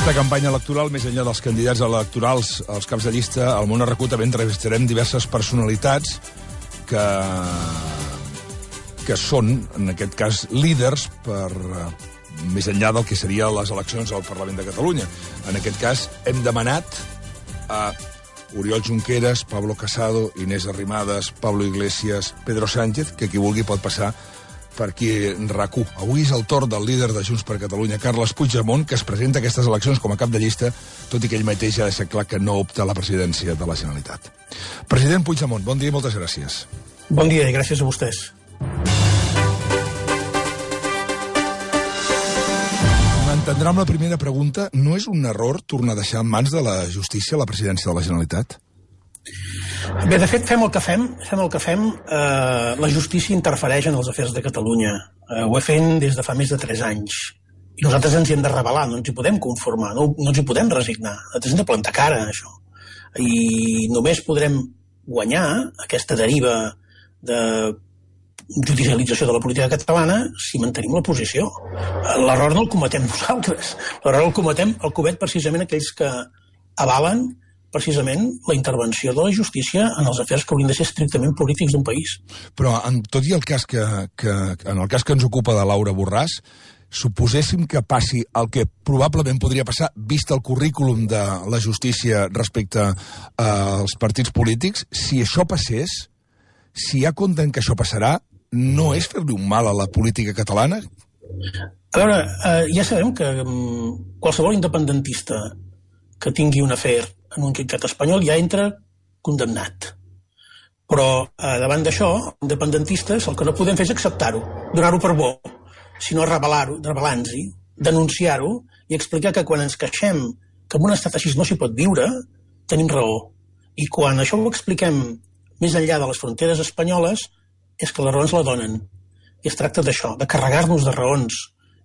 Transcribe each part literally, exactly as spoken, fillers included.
aquesta campanya electoral, més enllà dels candidats electorals, els caps de llista, al Món Arracú també entrevistarem diverses personalitats que, que són, en aquest cas, líders per més enllà del que serien les eleccions al Parlament de Catalunya. En aquest cas, hem demanat a Oriol Junqueras, Pablo Casado, Inés Arrimadas, Pablo Iglesias, Pedro Sánchez, que qui vulgui pot passar per aquí RAC1. Avui és el torn del líder de Junts per Catalunya, Carles Puigdemont, que es presenta a aquestes eleccions com a cap de llista, tot i que ell mateix ja ha deixat clar que no opta a la presidència de la Generalitat. President Puigdemont, bon dia i moltes gràcies. Bon dia i gràcies a vostès. M'entendrà amb la primera pregunta, no és un error tornar a deixar en mans de la justícia la presidència de la Generalitat? Bé, de fet, fem el que fem, fem el que fem, eh, la justícia interfereix en els afers de Catalunya. Eh, ho he fet des de fa més de tres anys. I nosaltres ens hi hem de rebel·lar, no ens hi podem conformar, no, no ens hi podem resignar. Nosaltres hem de plantar cara a això. I només podrem guanyar aquesta deriva de judicialització de la política catalana si mantenim la posició. L'error no el cometem nosaltres. L'error el cometem el comet precisament aquells que avalen precisament la intervenció de la justícia en els afers que haurien de ser estrictament polítics d'un país. Però en tot i el cas que, que, en el cas que ens ocupa de Laura Borràs, suposéssim que passi el que probablement podria passar, vist el currículum de la justícia respecte als partits polítics, si això passés, si hi ha compte en que això passarà, no és fer-li un mal a la política catalana? A veure, eh, ja sabem que um, qualsevol independentista que tingui un afer en un jutjat espanyol ja entra condemnat. Però eh, davant d'això, independentistes, el que no podem fer és acceptar-ho, donar-ho per bo, sinó rebel·lar-ho, rebel·lar-nos-hi, denunciar-ho i explicar que quan ens queixem que en un estat així no s'hi pot viure, tenim raó. I quan això ho expliquem més enllà de les fronteres espanyoles, és que les raons la donen. I es tracta d'això, de carregar-nos de raons.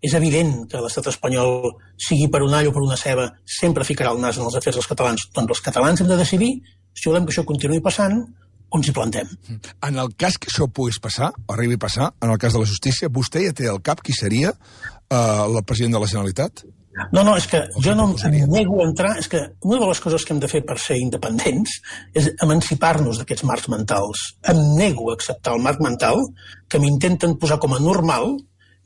És evident que l'estat espanyol, sigui per un all o per una ceba, sempre ficarà el nas en els afers dels catalans. Doncs els catalans hem de decidir si volem que això continuï passant o ens hi plantem. En el cas que això pogués passar, o arribi a passar, en el cas de la justícia, vostè ja té al cap qui seria eh, el president de la Generalitat? No, no, és que jo no em nego a entrar... És que una de les coses que hem de fer per ser independents és emancipar-nos d'aquests marcs mentals. Em nego a acceptar el marc mental que m'intenten posar com a normal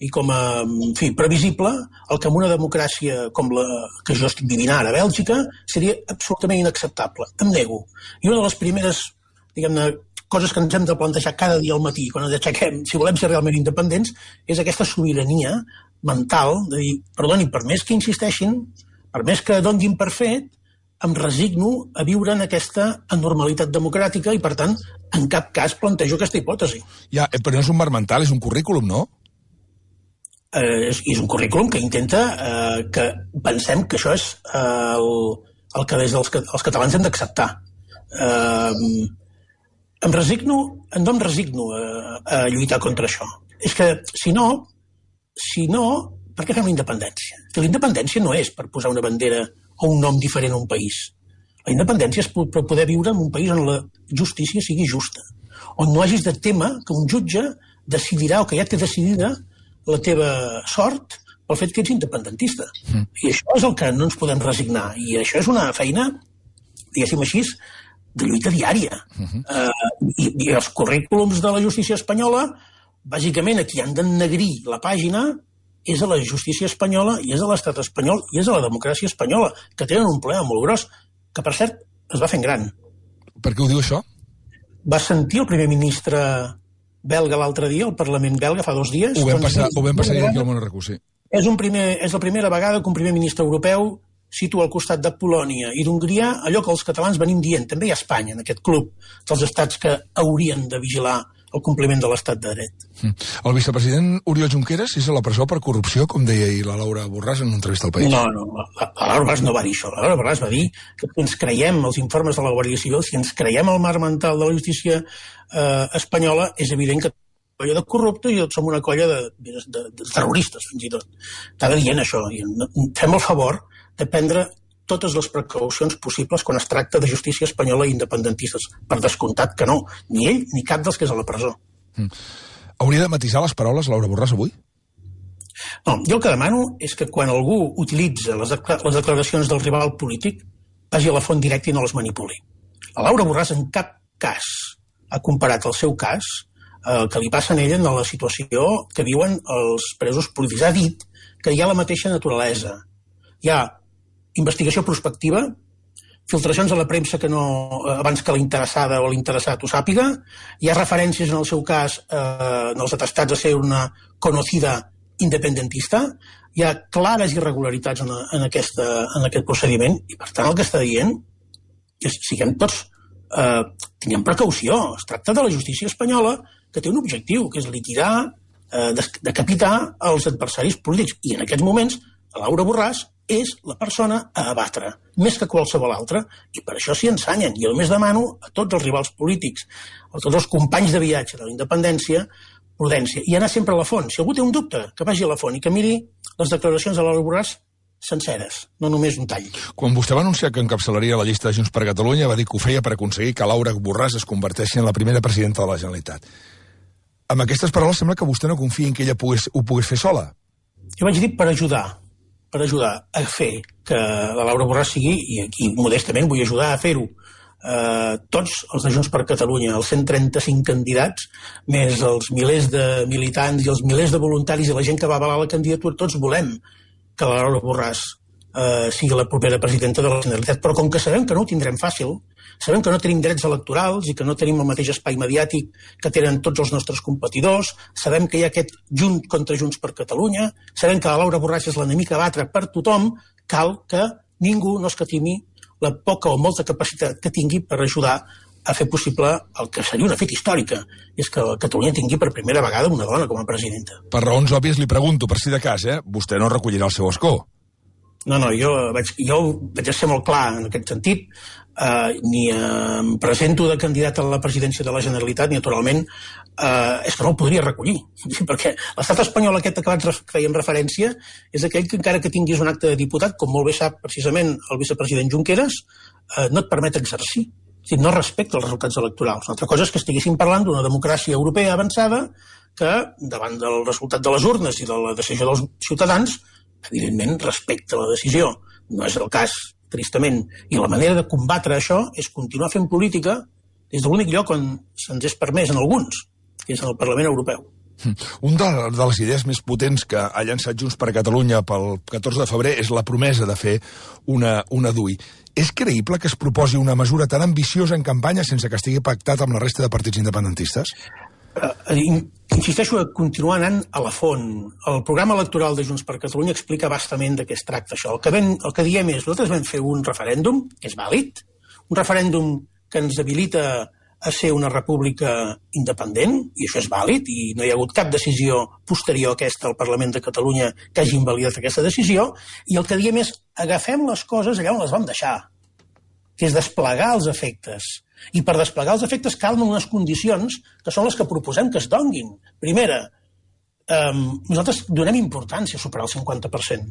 i com a, en fi, previsible, el que en una democràcia com la que jo estic vivint ara a Bèlgica seria absolutament inacceptable. Em nego. I una de les primeres, diguem-ne, coses que ens hem de plantejar cada dia al matí, quan ens aixequem, si volem ser realment independents, és aquesta sobirania mental de dir, perdoni, per més que insisteixin, per més que donin per fet, em resigno a viure en aquesta anormalitat democràtica i, per tant, en cap cas plantejo aquesta hipòtesi. Ja, però no és un marc mental, és un currículum, no? Eh, és, és un currículum que intenta eh, que pensem que això és eh, el, el que des dels els catalans hem d'acceptar. Eh, em resigno, no em resigno a, a lluitar contra això. És que, si no, si no, per què fem la independència? Si la independència no és per posar una bandera o un nom diferent a un país. La independència és per poder viure en un país on la justícia sigui justa, on no hagis de tema que un jutge decidirà o que ja té decidida la teva sort pel fet que ets independentista. Mm. I això és el que no ens podem resignar. I això és una feina, diguéssim així, de lluita diària. Mm-hmm. Uh, i, I els currículums de la justícia espanyola, bàsicament, a qui han d'ennegrir la pàgina és a la justícia espanyola i és a l'estat espanyol i és a la democràcia espanyola, que tenen un problema molt gros, que, per cert, es va fent gran. Per què ho diu això? Va sentir el primer ministre belga l'altre dia, al Parlament belga, fa dos dies. Ho vam passar, ho vam passar aquí al Món Arracú, sí. És, un primer, és la primera vegada que un primer ministre europeu situa al costat de Polònia i d'Hongria allò que els catalans venim dient, també hi ha Espanya, en aquest club dels estats que haurien de vigilar el compliment de l'estat de dret. El vicepresident Oriol Junqueras és a la presó per corrupció, com deia ahir la Laura Borràs en una entrevista al País. No, no, la, la Laura Borràs no va dir això. La Laura Borràs va dir que si ens creiem els informes de la Guàrdia Civil, si ens creiem el marc mental de la justícia eh, espanyola, és evident que colla de corruptes i tots som una colla de, de, de, de terroristes, fins i tot. Estava dient això. I fem el favor de prendre totes les precaucions possibles quan es tracta de justícia espanyola i independentistes. Per descomptat que no. Ni ell ni cap dels que és a la presó. Mm. Hauria de matisar les paraules Laura Borràs avui? No, jo el que demano és que quan algú utilitza les, les declaracions del rival polític vagi a la font directa i no les manipuli. La Laura Borràs en cap cas ha comparat el seu cas el que li passa a ella en la situació que viuen els presos polítics. Ha dit que hi ha la mateixa naturalesa. Hi ha investigació prospectiva, filtracions a la premsa que no, abans que la interessada o l'interessat ho sàpiga, hi ha referències en el seu cas eh, en els atestats a ser una conocida independentista, hi ha clares irregularitats en, en, aquesta, en aquest procediment i per tant el que està dient és siguem tots, eh, tinguem precaució, es tracta de la justícia espanyola que té un objectiu, que és liquidar, eh, decapitar els adversaris polítics i en aquests moments Laura Borràs és la persona a abatre, més que qualsevol altra, i per això s'hi ensanyen. I només demano a tots els rivals polítics, a tots els companys de viatge de la independència, prudència, i anar sempre a la font. Si algú té un dubte, que vagi a la font i que miri les declaracions de Laura Borràs senceres, no només un tall. Quan vostè va anunciar que encapçalaria la llista de Junts per Catalunya, va dir que ho feia per aconseguir que Laura Borràs es converteixi en la primera presidenta de la Generalitat. Amb aquestes paraules sembla que vostè no confia en que ella pogués, ho pogués fer sola. Jo vaig dir per ajudar, per ajudar a fer que la Laura Borràs sigui, i aquí modestament vull ajudar a fer-ho, eh, tots els de Junts per Catalunya, els cent trenta-cinc candidats, més els milers de militants i els milers de voluntaris i la gent que va avalar la candidatura, tots volem que la Laura Borràs eh, sigui la propera presidenta de la Generalitat, però com que sabem que no ho tindrem fàcil, sabem que no tenim drets electorals i que no tenim el mateix espai mediàtic que tenen tots els nostres competidors, sabem que hi ha aquest Junt contra Junts per Catalunya, sabem que la Laura Borràs és l'enemic a batre per tothom, cal que ningú no escatimi la poca o molta capacitat que tingui per ajudar a fer possible el que seria una fita històrica, és que Catalunya tingui per primera vegada una dona com a presidenta. Per raons òbvies li pregunto, per si de cas, eh? Vostè no recollirà el seu escó. No, no, jo vaig, jo vaig ser molt clar en aquest sentit, eh, ni eh, em presento de candidat a la presidència de la Generalitat, ni naturalment eh, és que no el podria recollir, perquè l'estat espanyol aquest que abans fèiem referència és aquell que encara que tinguis un acte de diputat, com molt bé sap precisament el vicepresident Junqueras, eh, no et permet exercir, és dir, no respecta els resultats electorals. Una altra cosa és que estiguéssim parlant d'una democràcia europea avançada que, davant del resultat de les urnes i de la decisió dels ciutadans, evidentment respecta la decisió. No és el cas, tristament. I la manera de combatre això és continuar fent política des de l'únic lloc on se'ns és permès en alguns, que és en el Parlament Europeu. Un de, de les idees més potents que ha llançat Junts per Catalunya pel catorze de febrer és la promesa de fer una, una D U I. És creïble que es proposi una mesura tan ambiciosa en campanya sense que estigui pactat amb la resta de partits independentistes? Uh, insisteixo a continuar anant a la font. El programa electoral de Junts per Catalunya explica bastament de què es tracta això. El que, ven, el que diem és, nosaltres vam fer un referèndum, que és vàlid, un referèndum que ens habilita a ser una república independent, i això és vàlid, i no hi ha hagut cap decisió posterior a aquesta al Parlament de Catalunya que hagi invalidat aquesta decisió, i el que diem és, agafem les coses allà on les vam deixar, que és desplegar els efectes. I per desplegar els efectes calen unes condicions que són les que proposem que es donguin. Primera, eh, nosaltres donem importància a superar el cinquanta per cent.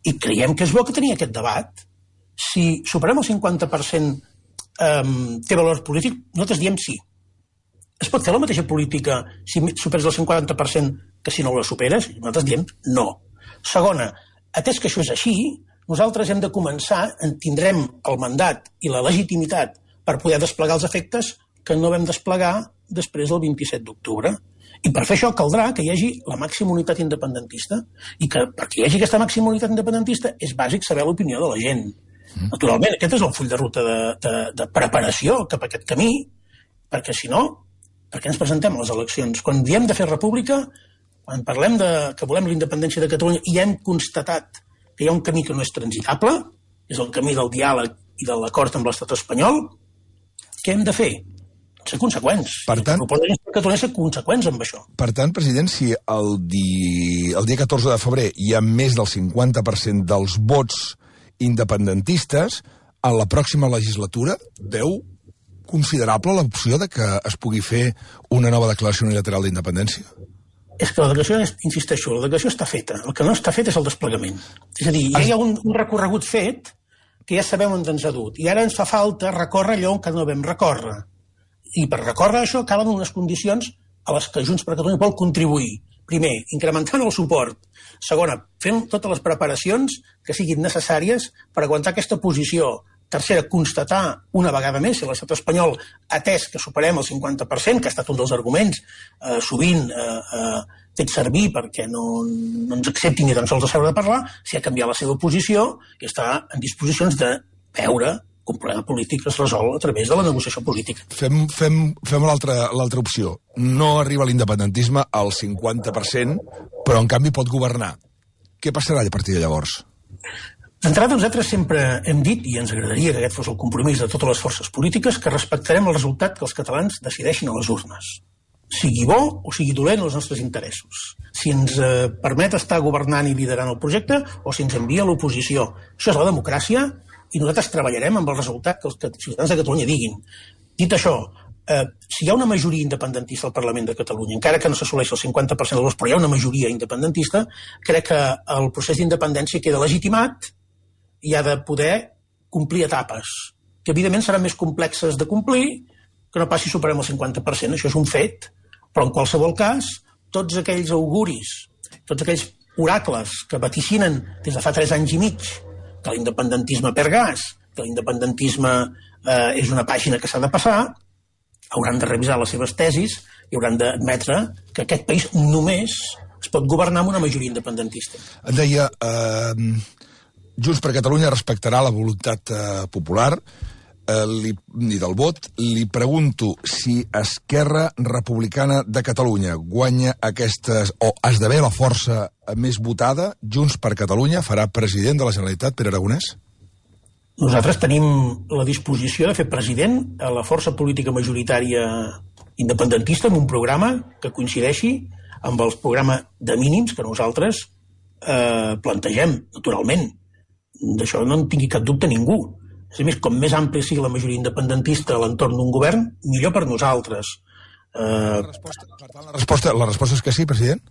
I creiem que és bo que tenir aquest debat. Si superem el cinquanta per cent eh, té valor polític, nosaltres diem sí. Es pot fer la mateixa política si superes el cinquanta per cent que si no la superes? Nosaltres diem no. Segona, atès que això és així, nosaltres hem de començar, en tindrem el mandat i la legitimitat per poder desplegar els efectes que no vam desplegar després del vint-i-set d'octubre. I per fer això caldrà que hi hagi la màxima unitat independentista i que perquè hi hagi aquesta màxima unitat independentista és bàsic saber l'opinió de la gent. Mm. Naturalment, aquest és el full de ruta de, de, de preparació cap a aquest camí, perquè si no, per què ens presentem a les eleccions? Quan diem de fer república, quan parlem de que volem la independència de Catalunya i hem constatat que hi ha un camí que no és transitable, és el camí del diàleg i de l'acord amb l'estat espanyol, què hem de fer? Ser conseqüents. Per tant, proposa que Catalunya ser conseqüents amb això. Per tant, president, si el, di... el dia catorze de febrer hi ha més del cinquanta per cent dels vots independentistes, a la pròxima legislatura veu considerable l'opció de que es pugui fer una nova declaració unilateral d'independència? És que la declaració, insisteixo, la declaració està feta. El que no està fet és el desplegament. És a dir, ja hi ha un, un recorregut fet que ja sabem on ens ha dut. I ara ens fa falta recórrer allò que no vam recórrer. I per recórrer això calen unes condicions a les que Junts per Catalunya vol contribuir. primer, incrementant el suport. Segona, fent totes les preparacions que siguin necessàries per aguantar aquesta posició. Tercera, constatar una vegada més si l'estat espanyol, atès que superem el cinquanta per cent, que ha estat un dels arguments eh, sovint eh, eh, fet servir perquè no, no ens acceptin ni tan sols de seure de parlar, si ha canviat la seva posició i està en disposicions de veure que un problema polític es resol a través de la negociació política. Fem, fem, fem l'altra l'altra opció. No arriba l'independentisme al cinquanta per cent, però en canvi pot governar. Què passarà a partir de llavors? D'entrada, nosaltres sempre hem dit, i ens agradaria que aquest fos el compromís de totes les forces polítiques, que respectarem el resultat que els catalans decideixin a les urnes. Sigui bo o sigui dolent els nostres interessos. Si ens eh, permet estar governant i liderant el projecte o si ens envia a l'oposició. Això és la democràcia i nosaltres treballarem amb el resultat que els ciutadans de Catalunya diguin. Dit això, eh, si hi ha una majoria independentista al Parlament de Catalunya, encara que no s'assoleixi el cinquanta per cent dels vots, però hi ha una majoria independentista, crec que el procés d'independència queda legitimat i ha de poder complir etapes, que evidentment seran més complexes de complir, que no passi superem el cinquanta per cent, això és un fet, però en qualsevol cas, tots aquells auguris, tots aquells oracles que vaticinen des de fa tres anys i mig que l'independentisme perd gas, que l'independentisme eh, és una pàgina que s'ha de passar, hauran de revisar les seves tesis i hauran d'admetre que aquest país només es pot governar amb una majoria independentista. Et deia... Eh... Junts per Catalunya respectarà la voluntat eh, popular eh, li, ni del vot. Li pregunto si Esquerra Republicana de Catalunya guanya aquestes, o esdevé la força més votada, Junts per Catalunya farà president de la Generalitat, Pere Aragonès? Nosaltres tenim la disposició de fer president a la força política majoritària independentista amb un programa que coincideixi amb el programa de mínims que nosaltres eh, plantegem, naturalment. D'això no en tingui cap dubte ningú. A més, com més àmplia sigui la majoria independentista a l'entorn d'un govern, millor per nosaltres. Eh... La resposta, per tant, la resposta, la resposta és que sí, president?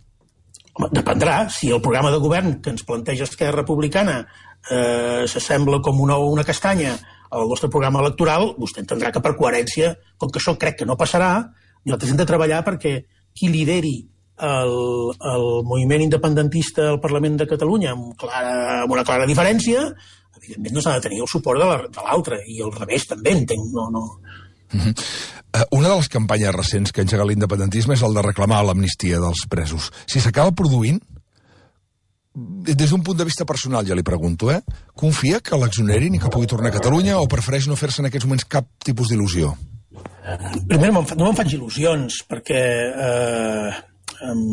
Home, dependrà. Si el programa de govern que ens planteja Esquerra Republicana eh, s'assembla com una, una castanya al nostre programa electoral, vostè entendrà que per coherència, com que això crec que no passarà, nosaltres hem de treballar perquè qui lideri El, el moviment independentista al Parlament de Catalunya amb, clara, amb una clara diferència, evidentment no s'ha de tenir el suport de l'altre, i al revés també, entenc. No, no. Uh-huh. Uh, una de les campanyes recents que ha engegat l'independentisme és el de reclamar l'amnistia dels presos. Si s'acaba produint, des d'un punt de vista personal, ja li pregunto, eh, confia que l'exonerin i que pugui tornar a Catalunya o prefereix no fer-se en aquests moments cap tipus d'il·lusió? Primer, no me'n, no me'n faig il·lusions, perquè... Eh, Um,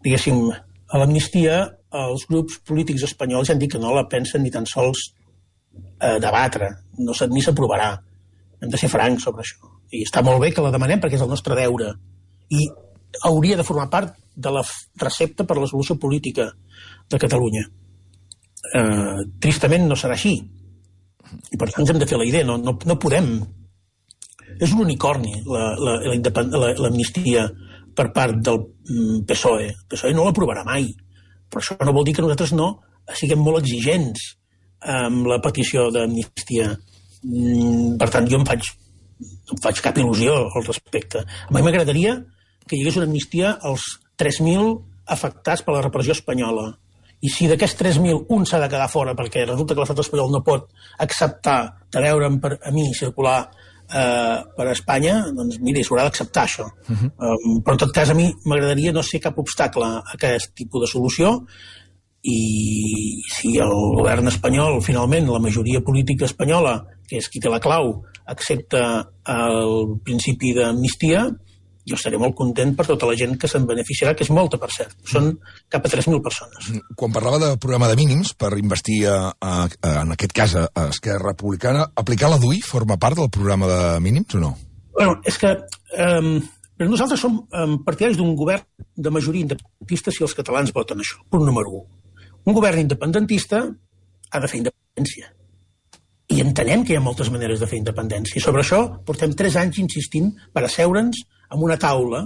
diguéssim, a l'amnistia els grups polítics espanyols ja han dit que no la pensen ni tan sols eh, debatre, no se, ni s'aprovarà. Hem de ser francs sobre això. I està molt bé que la demanem perquè és el nostre deure. I hauria de formar part de la recepta per a la solució política de Catalunya. Eh, tristament no serà així. I per tant ens hem de fer la idea. No, no, no podem... És un unicorni l'amnistia per part del P S O E. El P S O E no l'aprovarà mai. Però això no vol dir que nosaltres no siguem molt exigents amb la petició d'amnistia. Per tant, jo em faig, em faig cap il·lusió al respecte. A mi m'agradaria que hi hagués una amnistia als tres mil afectats per la repressió espanyola. I si d'aquests tres mil un s'ha de quedar fora perquè resulta que l'estat espanyol no pot acceptar de veure'm per a mi circular Uh, per a Espanya, doncs miri, s'haurà d'acceptar això. Uh-huh. um, però en tot cas a mi m'agradaria no ser cap obstacle a aquest tipus de solució, i si el govern espanyol, finalment, la majoria política espanyola, que és qui té la clau, accepta el principi d'amnistia, jo estaré molt content per tota la gent que se'n beneficiarà, que és molta, per cert. Són cap a tres mil persones. Quan parlava de programa de mínims per investir, a, a, a, en aquest cas, a Esquerra Republicana, aplicar la D U I forma part del programa de mínims o no? Bueno, és que um, nosaltres som um, partidaris d'un govern de majoria independentista si els catalans voten això. Punt número u. Un govern independentista ha de fer independència. I entenem que hi ha moltes maneres de fer independència. I sobre això portem tres anys insistint per asseure'ns amb una taula,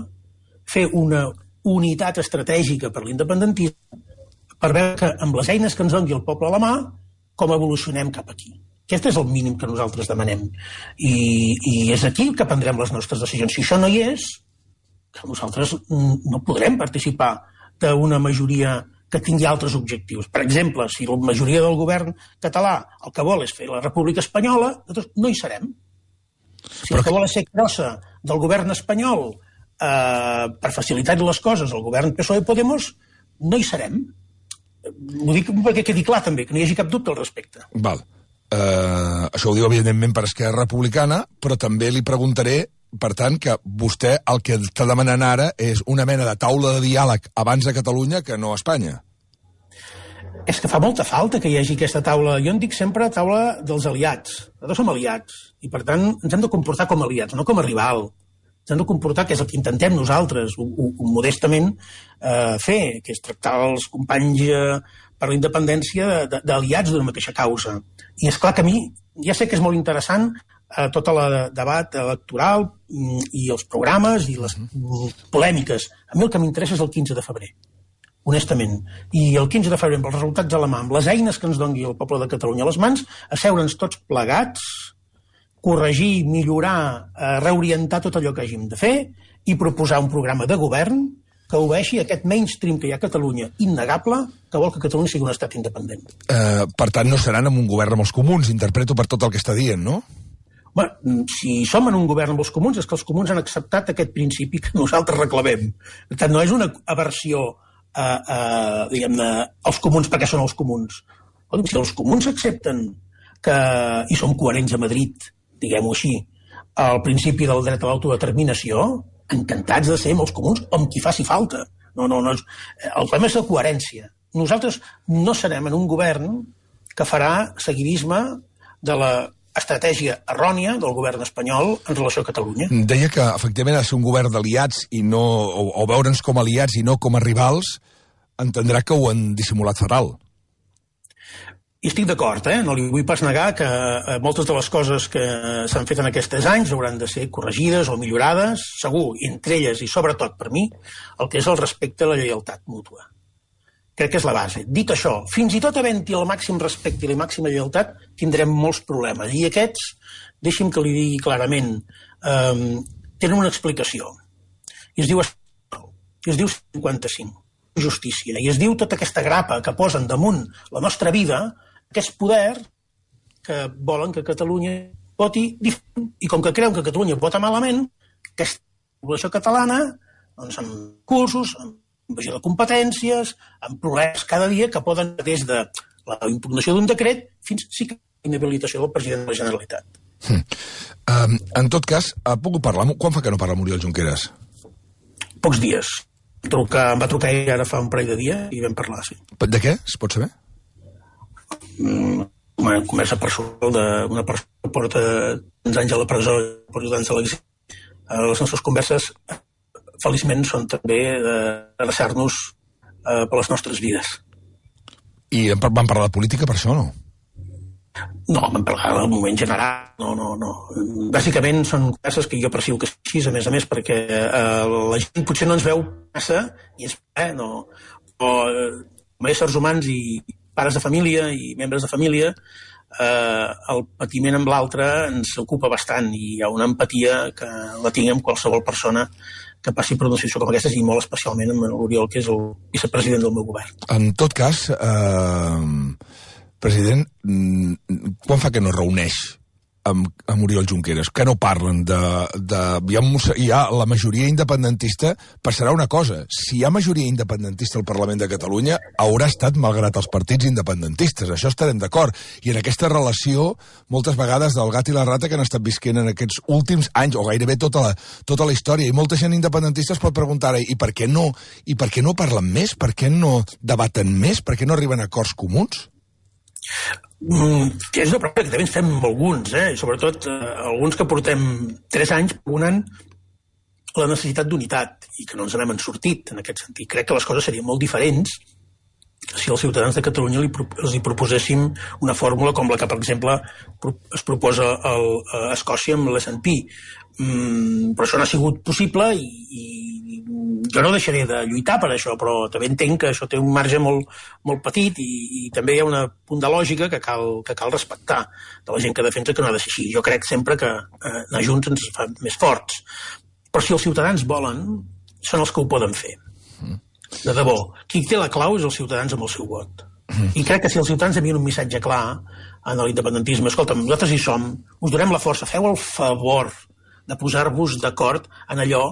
fer una unitat estratègica per l'independentisme, per veure que amb les eines que ens doni el poble a la mà, com evolucionem cap aquí. Aquest és el mínim que nosaltres demanem. I, i és aquí que prendrem les nostres decisions. Si això no hi és, que nosaltres no podrem participar d'una majoria que tingui altres objectius. Per exemple, si la majoria del govern català el que vol és fer la República Espanyola, nosaltres no hi serem. Si el que vol és ser crossa del govern espanyol eh, per facilitar les coses al govern P S O E Podemos, no hi serem. Ho dic perquè quedi clar també, que no hi hagi cap dubte al respecte. Val. Uh, això ho diu evidentment per Esquerra Republicana, però també li preguntaré, per tant, que vostè el que està demanant ara és una mena de taula de diàleg abans a Catalunya que no a Espanya. És que fa molta falta que hi hagi aquesta taula. Jo en dic sempre taula dels aliats. Nosaltres som aliats, i per tant ens hem de comportar com aliats, no com a rival. Ens hem de comportar, que és el que intentem nosaltres, ho, ho, ho modestament, eh, fer, que és tractar els companys eh, per la independència d'aliats d'una mateixa causa. I és clar que a mi, ja sé que és molt interessant eh, tot el debat electoral i els programes i les polèmiques. A mi el que m'interessa és el quinze de febrer, honestament. I el quinze de febrer, amb els resultats a la mà, amb les eines que ens doni el poble de Catalunya a les mans, asseure'ns tots plegats, corregir, millorar, eh, reorientar tot allò que hàgim de fer i proposar un programa de govern que obeeixi aquest mainstream que hi ha a Catalunya, innegable, que vol que Catalunya sigui un estat independent. Uh, per tant, no seran en un govern amb els comuns, interpreto per tot el que està dient, no? Bueno, si som en un govern amb els comuns, és que els comuns han acceptat aquest principi que nosaltres reclamem. Per tant, no és una aversió a, a, diguem-ne, als comuns perquè són els comuns. Si els comuns accepten que, i som coherents a Madrid, diguem-ho així, el principi del dret a l'autodeterminació, encantats de ser amb els comuns, amb qui faci falta. No, no, no és... El problema és la coherència. Nosaltres no serem en un govern que farà seguidisme de la estratègia errònia del govern espanyol en relació a Catalunya. Deia que, efectivament, ha de ser un govern d'aliats i no, o, o veure'ns com a aliats i no com a rivals, entendrà que ho han dissimulat fatal. I estic d'acord, eh? No li vull pas negar que eh, moltes de les coses que s'han fet en aquests anys hauran de ser corregides o millorades, segur, i entre elles, i sobretot per mi, el que és el respecte a la lleialtat mútua. Crec que és la base. Dit això, fins i tot havent-hi el màxim respecte i la màxima lleialtat, tindrem molts problemes. I aquests, deixi'm que li digui clarament, eh, tenen una explicació. I es diu, i es diu cinquanta-cinc, justícia, i es diu tota aquesta grapa que posen damunt la nostra vida, aquest poder que volen que Catalunya voti diferent, i com que creuen que Catalunya vota malament, aquesta població catalana, doncs amb cursos, amb invasió de competències, amb problemes cada dia que poden, des de la impugnació d'un decret, fins sí que la inhabilitació del president de la Generalitat. Hmm. Um, en tot cas, ha pogut parlar... Quan fa que no parla Oriol Junqueras? Pocs dies. Truca, em va trucar ell ara fa un parell de dies i vam parlar, sí. De què? Es pot saber? Una conversa personal d'una persona que porta tants anys a la presó, porta tants anys a l'exili. Les nostres converses, feliçment, són també d'adreçar-nos eh, per les nostres vides. I van parlar de política per això, no? No, vam parlar del moment general. No, no, no. Bàsicament són converses que jo percibo que és així, a més a més, perquè eh, la gent potser no ens veu massa, i és, eh, no, o eh, com a éssers humans i pares de família i membres de família, eh, el patiment amb l'altre ens ocupa bastant i hi ha una empatia que la tinc amb qualsevol persona que passi per una situació com aquesta, i molt especialment amb l'Oriol, que és el vicepresident del meu govern. En tot cas, eh, president, quan fa que no reuneix amb, amb Oriol Junqueras? Que no parlen de... de hi, ha, hi ha la majoria independentista. Passarà una cosa, si hi ha majoria independentista al Parlament de Catalunya, haurà estat malgrat els partits independentistes, això estarem d'acord. I en aquesta relació, moltes vegades del gat i la rata que han estat visquent en aquests últims anys, o gairebé tota la, tota la història, i molta gent independentista es pot preguntar ara, i per què no, i per què no parlen més? Per què no debaten més? Per què no arriben a acords comuns? Mm, és una pregunta que també ens fem alguns, eh? Sobretot eh, alguns que portem tres anys preguntant la necessitat d'unitat i que no ens n'hem sortit en aquest sentit. Crec que les coses serien molt diferents si els ciutadans de Catalunya li, els hi proposéssim una fórmula com la que, per exemple, es proposa el, a Escòcia amb l'S and P. Mm, però això no ha sigut possible i, i jo no deixaré de lluitar per això, però també entenc que això té un marge molt, molt petit i, i també hi ha un punt de lògica que cal, que cal respectar de la gent que defensa que no ha de ser així. Jo crec sempre que eh, anar junts ens fa més forts. Però si els ciutadans volen, són els que ho poden fer. De debò. Qui té la clau és els ciutadans amb el seu vot. Mm. I crec que si els ciutadans envien un missatge clar en l'independentisme, escolta'm, nosaltres hi som, us donem la força, feu el favor de posar-vos d'acord en allò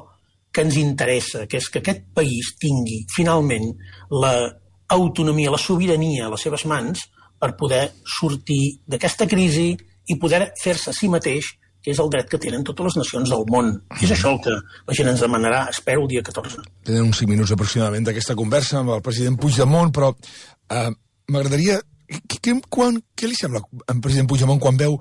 que ens interessa, que és que aquest país tingui finalment l'autonomia, la sobirania a les seves mans per poder sortir d'aquesta crisi i poder fer-se a si mateix, que és el dret que tenen totes les nacions del món. I és això el que la gent ens demanarà, espero, el dia catorze. Tenen uns cinc minuts aproximadament d'aquesta conversa amb el president Puigdemont, però eh, m'agradaria... Què, quan, què li sembla al president Puigdemont quan veu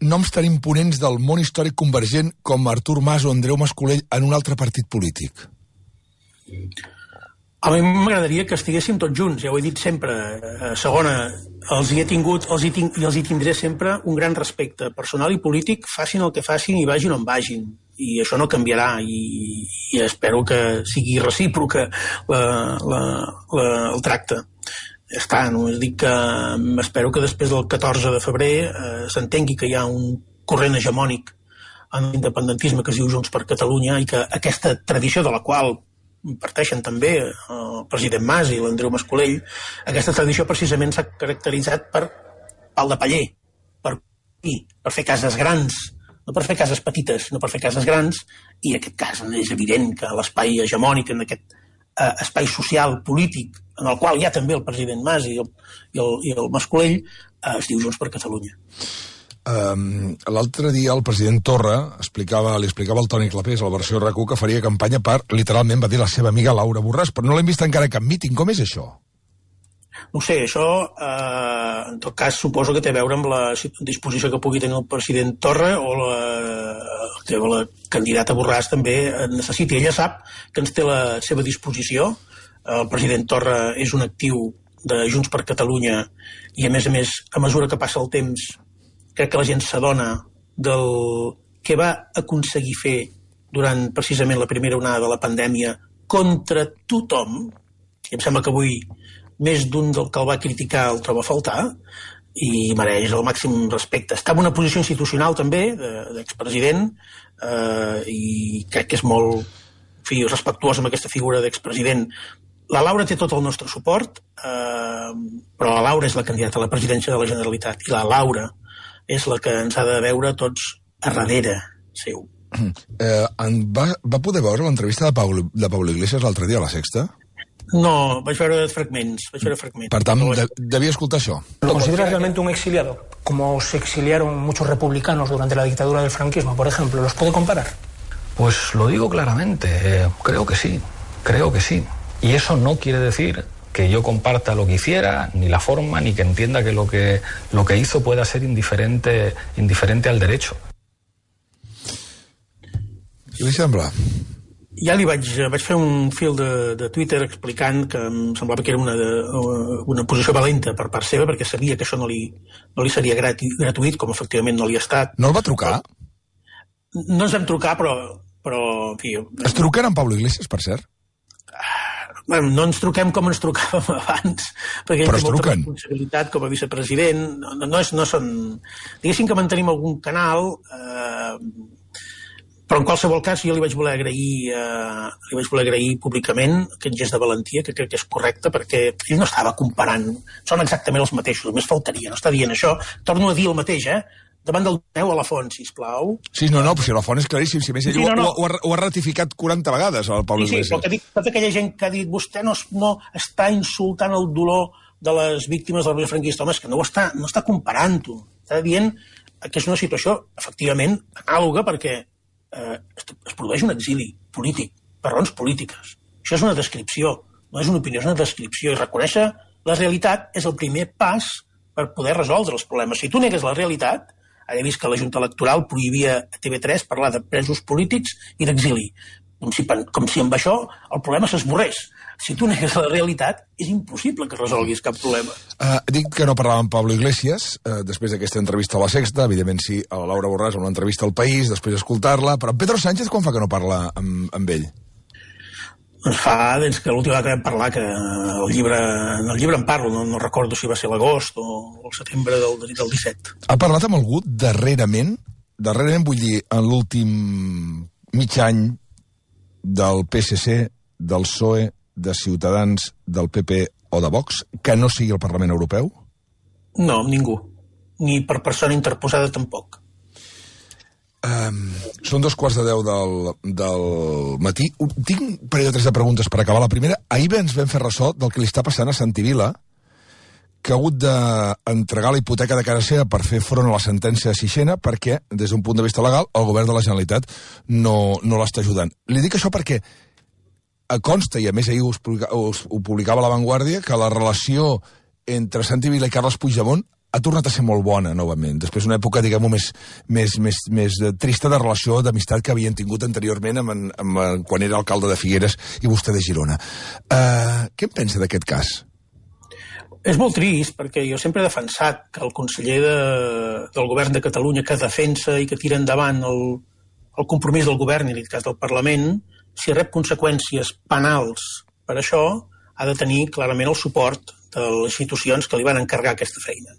noms tan imponents del món històric convergent com Artur Mas o Andreu Mas-Colell en un altre partit polític? A mi m'agradaria que estiguéssim tots junts, ja ho he dit sempre. Eh, segona, els hi he tingut els hi tinc, i els hi tindré sempre un gran respecte personal i polític, facin el que facin i vagin on vagin. I això no canviarà i, i espero que sigui recíproca la, la, la, el tracte. Ja està, només dic que espero que després del catorze de febrer eh, s'entengui que hi ha un corrent hegemònic en l'independentisme que es diu Junts per Catalunya i que aquesta tradició de la qual parteixen també el president Mas i l'Andreu Mas-Colell, aquesta tradició precisament s'ha caracteritzat per pal de paller, per, per fer cases grans, no per fer cases petites, no per fer cases grans, i en aquest cas és evident que l'espai hegemònic en aquest eh, espai social, polític, en el qual hi ha també el president Mas i el, i el, i el Mas-Colell, eh, es diu Junts per Catalunya. Um, L'altre dia el president Torra explicava, li explicava al Toni Clapés a la versió RAC u que faria campanya per, literalment va dir la seva amiga Laura Borràs, però no l'hem vist encara a cap míting. Com és això? No sé, això eh, en tot cas suposo que té a veure amb la disposició que pugui tenir el president Torra o la, que la candidata Borràs també necessiti. Ella sap que ens té la seva disposició. El president Torra és un actiu de Junts per Catalunya i a més a més, a mesura que passa el temps, crec que la gent s'adona del que va aconseguir fer durant precisament la primera onada de la pandèmia contra tothom, i em sembla que avui més d'un del que el va criticar el troba a faltar, i mereix el màxim respecte. Està en una posició institucional també, d'expresident, eh, i crec que és molt en fi, respectuós amb aquesta figura d'expresident. La Laura té tot el nostre suport, eh, però la Laura és la candidata a la presidència de la Generalitat, i la Laura és la que ens ha de veure tots a darrere seu. Eh, va, va poder veure l'entrevista de Pablo, de Pablo Iglesias l'altre dia a La Sexta? No, vaig veure fragments, vaig veure fragments. Per tant, de, devia escoltar això. ¿Lo consideras realmente un exiliado? Como se exiliaron muchos republicanos durante la dictadura del franquismo, por ejemplo. ¿Los puede comparar? Pues lo digo claramente, eh, creo que sí, creo que sí. Y eso no quiere decir que yo comparta lo que hiciera, ni la forma, ni que entienda que lo que, lo que hizo pueda ser indiferente, indiferente al derecho. Què li sembla? Ja li vaig, vaig fer un fil de, de Twitter explicant que em semblava que era una, de, una posició valenta per part seva, perquè sabia que això no li, no li seria gratu, gratuït, com efectivament no li ha estat. No el va trucar? No ens vam trucar, però... però en fi, es truquen amb Pablo Iglesias, per cert? Bueno, no ens truquem com ens trucàvem abans, perquè ell però té molta responsabilitat com a vicepresident. No, no, és, no són... Diguéssim que mantenim algun canal... Eh, però en qualsevol cas jo li vaig voler agrair eh, li vaig voler agrair públicament aquest gest de valentia, que crec que és correcte, perquè ell no estava comparant, són exactament els mateixos, només faltaria, no està dient això. Torno a dir el mateix, eh? Davant del meu a la font, sisplau. Sí, no, no, però si la font és claríssim, si més ell sí, no, no. Ho, ho, ha, ho ha ratificat quaranta vegades el Pablo sí, sí, Iglesias. Sí, però que dic, tota aquella gent que ha dit vostè no, no està insultant el dolor de les víctimes de la revolució franquista, home, és que no ho està, no està comparant-ho, està dient que és una situació efectivament anàloga, perquè Eh, es produeix un exili polític, per raons polítiques. Això és una descripció, no és una opinió, és una descripció, i reconèixer la realitat és el primer pas per poder resoldre els problemes. Si tu negues la realitat, ara he vist que la Junta Electoral prohibia a T V tres parlar de presos polítics i d'exili, com si, com si amb això el problema s'esborrés. Si tu negues la realitat, és impossible que resolguis cap problema. Uh, dic que no parlava amb Pablo Iglesias, uh, després d'aquesta entrevista a La Sexta, evidentment sí, a la Laura Borràs, amb l'entrevista al País, després d'escoltar-la, però Pedro Sánchez quan fa que no parla amb, amb ell? Doncs fa, des que l'última vegada que vam parlar, que el llibre, en el llibre en parlo, no, no recordo si va ser l'agost o el setembre del, del disset. Ha parlat amb algú darrerament? Darrerament vull dir, en l'últim mig any del P S C, del P S O E de Ciutadans, del P P o de Vox que no sigui el Parlament Europeu? No, ningú. Ni per persona interposada tampoc. Um, són dos quarts de deu del, del matí. Tinc un parell o tres de preguntes per acabar. La primera, ahir ens vam fer ressò del que li està passant a Santi Vila, que ha hagut d'entregar la hipoteca de casa seva per fer front a la sentència de Sixena perquè, des d'un punt de vista legal, el govern de la Generalitat no, no l'està ajudant. Li dic això perquè consta, i a més ahir us, us, ho publicava La Vanguardia, que la relació entre Santi Vila i Carles Puigdemont ha tornat a ser molt bona, novament, després d'una època, diguem-ho, més, més, més, més trista de relació d'amistat que havien tingut anteriorment amb, amb, amb, quan era alcalde de Figueres i vostè de Girona. Uh, què en pensa d'aquest cas? És molt trist, perquè jo sempre he defensat que el conseller de, del govern de Catalunya que defensa i que tira endavant el, el compromís del govern, i en aquest cas del Parlament, si rep conseqüències penals per això, ha de tenir clarament el suport de les institucions que li van encarregar aquesta feina.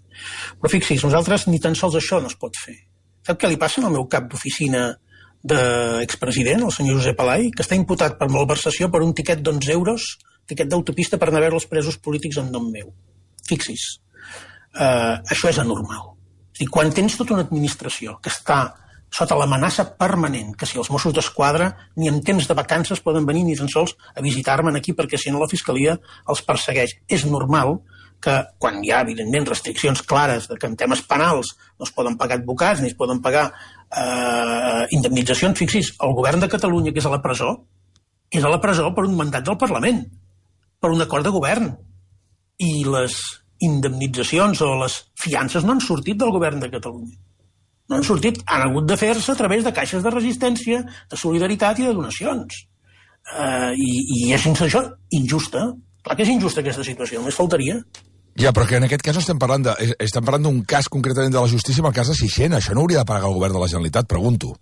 Però fixi's, nosaltres ni tan sols això no es pot fer. Sap què li passa al meu cap d'oficina d'expresident, el senyor Josep Alai, que està imputat per malversació per un tiquet d'onze euros, tiquet d'autopista per anar a veure els presos polítics en nom meu. Fixi's, uh, això és anormal. És dir, quan tens tota una administració que està sota l'amenaça permanent, que si els Mossos d'Esquadra ni en temps de vacances poden venir ni tan sols a visitar-me aquí perquè si no la Fiscalia els persegueix. És normal que quan hi ha, evidentment, restriccions clares de que en temes penals no es poden pagar advocats ni es poden pagar eh, indemnitzacions. Fixis, el govern de Catalunya, que és a la presó, és a la presó per un mandat del Parlament, per un acord de govern. I les indemnitzacions o les fiances no han sortit del govern de Catalunya. No han sortit, han hagut de fer-se a través de caixes de resistència, de solidaritat i de donacions. Uh, i, I és això injusta. Clar que és injusta aquesta situació, només faltaria. Ja, però que en aquest cas no estem parlant de, estem parlant d'un cas concretament de la justícia, amb el cas de Sixena. Això no hauria de pagar el govern de la Generalitat, pregunto.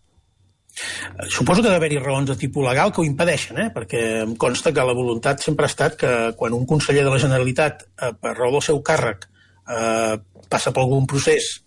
Suposo que ha d'haver-hi raons de tipus legal que ho impedeixen, eh? Perquè em consta que la voluntat sempre ha estat que quan un conseller de la Generalitat, eh, per raó del seu càrrec, eh, passa per algun procés,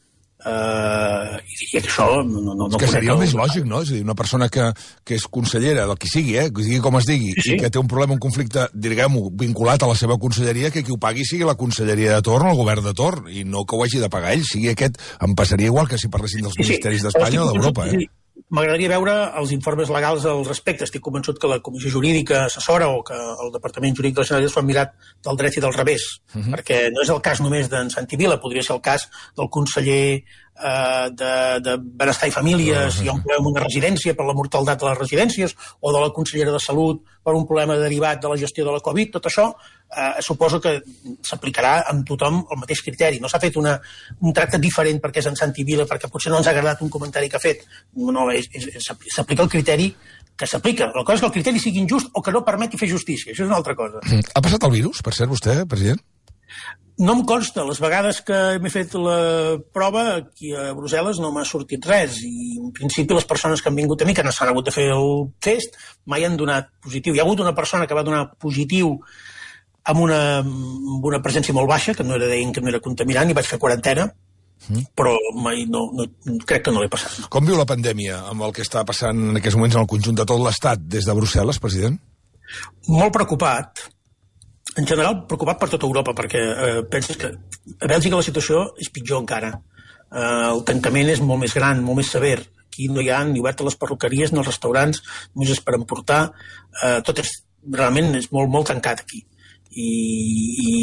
Uh, i diria que això no, no, no que seria el més lògic, no? És a dir, una persona que, que és consellera del que sigui, eh? Que digui com es digui, sí, sí. I que té un problema, un conflicte, diguem-ho, vinculat a la seva conselleria, que qui ho pagui sigui la conselleria de torn o el govern de torn, i no que ho hagi de pagar ell, sigui aquest, em passaria igual que si parlessin dels ministeris sí, sí. d'Espanya o d'Europa, eh? M'agradaria veure els informes legals al respecte. Estic convençut que la Comissió Jurídica assessora o que el Departament Jurídic de la Generalitat s'ho han mirat del dret i del revés, uh -huh. perquè no és el cas només d'en Santi Vila, podria ser el cas del conseller eh, de, de Benestar i Famílies, uh -huh. hi ha un problema amb una residència per la mortalitat de les residències, o de la consellera de Salut per un problema derivat de la gestió de la Covid. Tot això eh, suposo que s'aplicarà amb tothom el mateix criteri. No s'ha fet una, un tracte diferent perquè és en Santi Vila, perquè potser no ens ha agradat un comentari que ha fet. No, és, és, s'aplica el criteri que s'aplica. La cosa és que el criteri sigui injust o que no permeti fer justícia. Això és una altra cosa. Ha passat el virus, per cert, vostè, president? No em consta. Les vegades que m'he fet la prova aquí a Brussel·les no m'ha sortit res. I en principi les persones que han vingut a mi, que no s'han hagut de fer el test, mai han donat positiu. Hi ha hagut una persona que va donar positiu amb una, amb una presència molt baixa, que no era deien que no era contaminant, i vaig fer quarantena, mm. però mai no, no, crec que no l'he passat. No. Com viu la pandèmia amb el que està passant en aquests moments en el conjunt de tot l'Estat des de Brussel·les, president? Molt preocupat. En general, preocupat per tota Europa, perquè eh, penses que a Bèlgica la situació és pitjor encara. Eh, el tancament és molt més gran, molt més sever. Aquí no hi ha ni obertes les perruqueries ni els restaurants, només és per emportar. Eh, tot és, realment és molt, molt tancat aquí. I, i,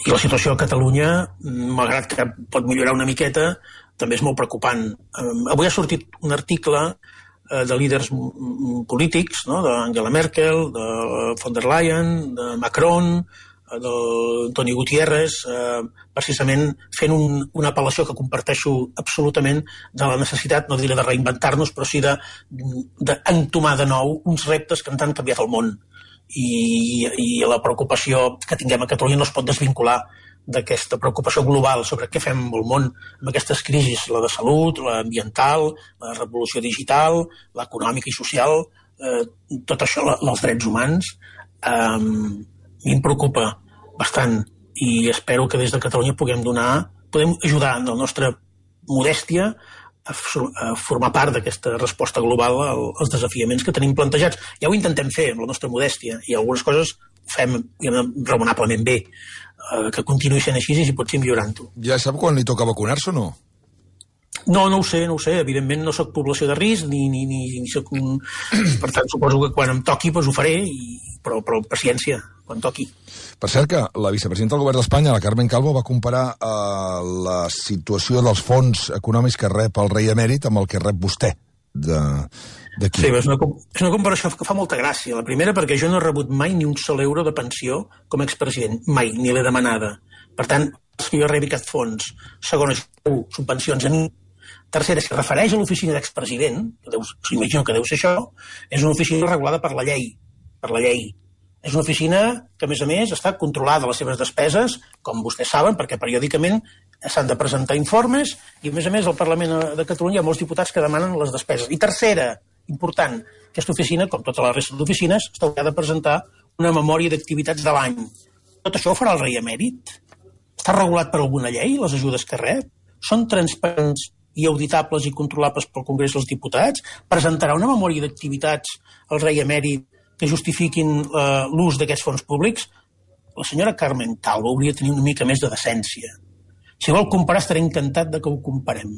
i la situació a Catalunya, malgrat que pot millorar una miqueta, també és molt preocupant. Eh, avui ha sortit un article eh, de líders polítics, no? D'Angela Merkel, de von der Leyen, de Macron, eh, d'Antoni Gutiérrez, eh, precisament fent un, una apel·lació que comparteixo absolutament de la necessitat, no diré de reinventar-nos, però sí d'entomar de, de nou uns reptes que ens han canviat el món. I, i la preocupació que tinguem a Catalunya no es pot desvincular d'aquesta preocupació global sobre què fem amb el món amb aquestes crisis, la de salut, l'ambiental, la revolució digital, l'econòmica i social, eh, tot això, la, els drets humans, eh, a mi em preocupa bastant i espero que des de Catalunya puguem donar, podem ajudar en la nostra modèstia a formar part d'aquesta resposta global als desafiaments que tenim plantejats. Ja ho intentem fer amb la nostra modèstia i algunes coses fem raonablement bé, eh, que continuï sent així i si pot ser millorant-ho. Ja sap quan li toca vacunar-se o no? No, no ho sé, no ho sé. Evidentment no sóc població de risc, ni, ni, ni, ni soc un... Per tant, suposo que quan em toqui doncs ho faré, i... però, però paciència, quan toqui. Per cert que la vicepresidenta del govern d'Espanya, la Carmen Calvo, va comparar eh, la situació dels fons econòmics que rep el rei emèrit amb el que rep vostè d'aquí. Sí, és una, és una comparació que fa molta gràcia. La primera perquè jo no he rebut mai ni un sol euro de pensió com a expresident, mai, ni l'he demanada. Per tant, que jo rebi aquest fons. Segon, això, subvencions en... Tercera, si refereix a l'oficina d'expresident, que s'imagino que deu ser això, és una oficina regulada per la llei, per la llei. És una oficina que, a més a més, està controlada les seves despeses, com vostès saben, perquè periòdicament s'han de presentar informes i, a més a més, al Parlament de Catalunya hi ha molts diputats que demanen les despeses. I tercera, important, aquesta oficina, com tota la resta d'oficines, està de presentar una memòria d'activitats de l'any. Tot això ho farà el rei emèrit? Està regulat per alguna llei, les ajudes que rep? Són transparents i auditables i controlables pel Congrés dels Diputats? Presentarà una memòria d'activitats al rei emèrit que justifiquin eh, l'ús d'aquests fons públics? La senyora Carmen Calvo hauria de tenir una mica més de decència. Si vol comparar, estaré encantat de que ho comparem.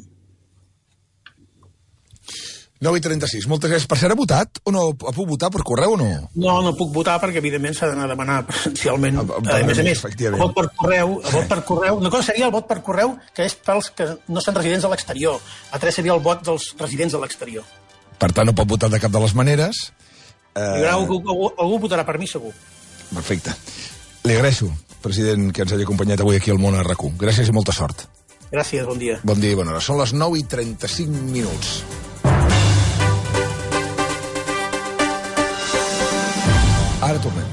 nou i trenta-sis. Moltes gràcies. Per cert, ha votat o no? Ha pogut votar per correu o no? No, no puc votar perquè, evidentment, s'ha d'anar a demanar presencialment. A, a, a més a més, el vot per correu, el vot per correu, una cosa seria el vot per correu, que és pels que no són residents a l'exterior. L'altre seria el vot dels residents a l'exterior. Per tant, no pot votar de cap de les maneres. Eh... Algú, algú, algú votarà per mi, segur. Perfecte. Li agraeixo, president, que ens hagi acompanyat avui aquí al Món a RAC u. Gràcies i molta sort. Gràcies, bon dia. Bon dia i bona hora. Són les nou i trenta-cinc minuts. Ara tornem.